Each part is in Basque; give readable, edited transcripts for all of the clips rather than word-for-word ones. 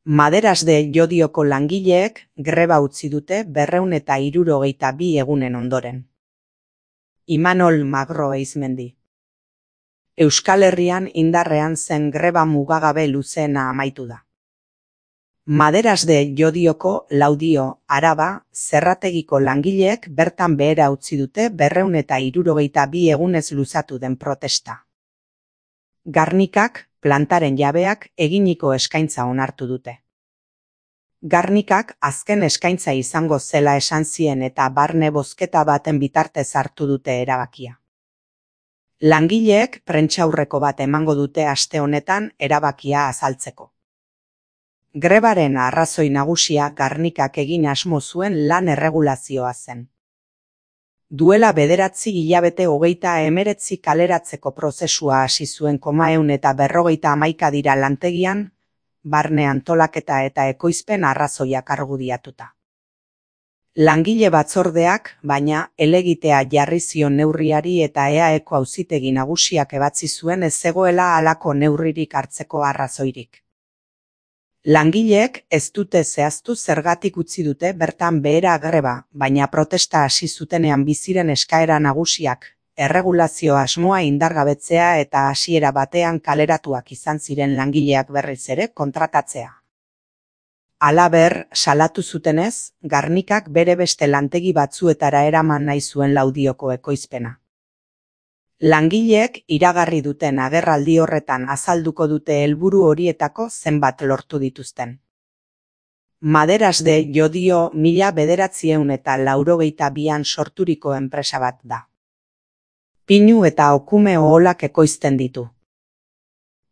Maderas de Llodioko langileek greba utzi dute 262 egunen ondoren. Imanol Magro Eizmendi. Euskal Herrian indarrean zen greba mugagabe luzeena amaitu da. Maderas de Llodioko Laudio, Araba, zerrategiko langileek bertan behera utzi dute 262 egunez luzatu den protesta. Garnikak, plantaren jabeak, eginiko eskaintza onartu dute. Garnikak azken eskaintza izango zela esan zien eta barne bozketa baten bitartez hartu dute erabakia. Langileek prentsaurreko bat emango dute aste honetan erabakia azaltzeko. Grebaren arrazoi nagusia Garnikak egin asmo zuen lan erregulazioa zen. Duela 9 hilabete 39 kaleratzeko prozesua hasi zuen 151 dira lantegian, barne antolaketa eta ekoizpen arrazoiak argudiatuta. Langile batzordeak, baina, helegitea jarri zion neurriari eta EAEko auzitegi nagusiak ebatzi zuen ez zegoela halako neurririk hartzeko arrazoirik. Langileek ez dute zehaztu zergatik utzi dute bertan behera greba, baina protesta hasi zutenean biziren eskaera nagusiak, erregulazio asmoa indargabetzea eta hasiera batean kaleratuak izan ziren langileak berriz ere kontratatzea. Halaber, salatu zutenez, Garnikak bere beste lantegi batzuetara eraman nahi zuen Laudioko ekoizpena. Langileek iragarri duten agerraldi horretan azalduko dute helburu horietako zenbat lortu dituzten. Maderas de Llodio 1982an sorturiko enpresa bat da. Pinu eta okume oholak ekoizten ditu.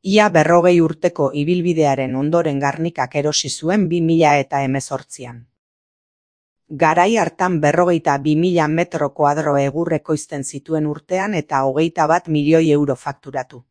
Ia 40 urteko ibilbidearen ondoren Garnikak erosi zuen 2018an. Garai hartan 42.000 metro koadro egur ekoizten zituen urtean eta 21 milioi euro fakturatu.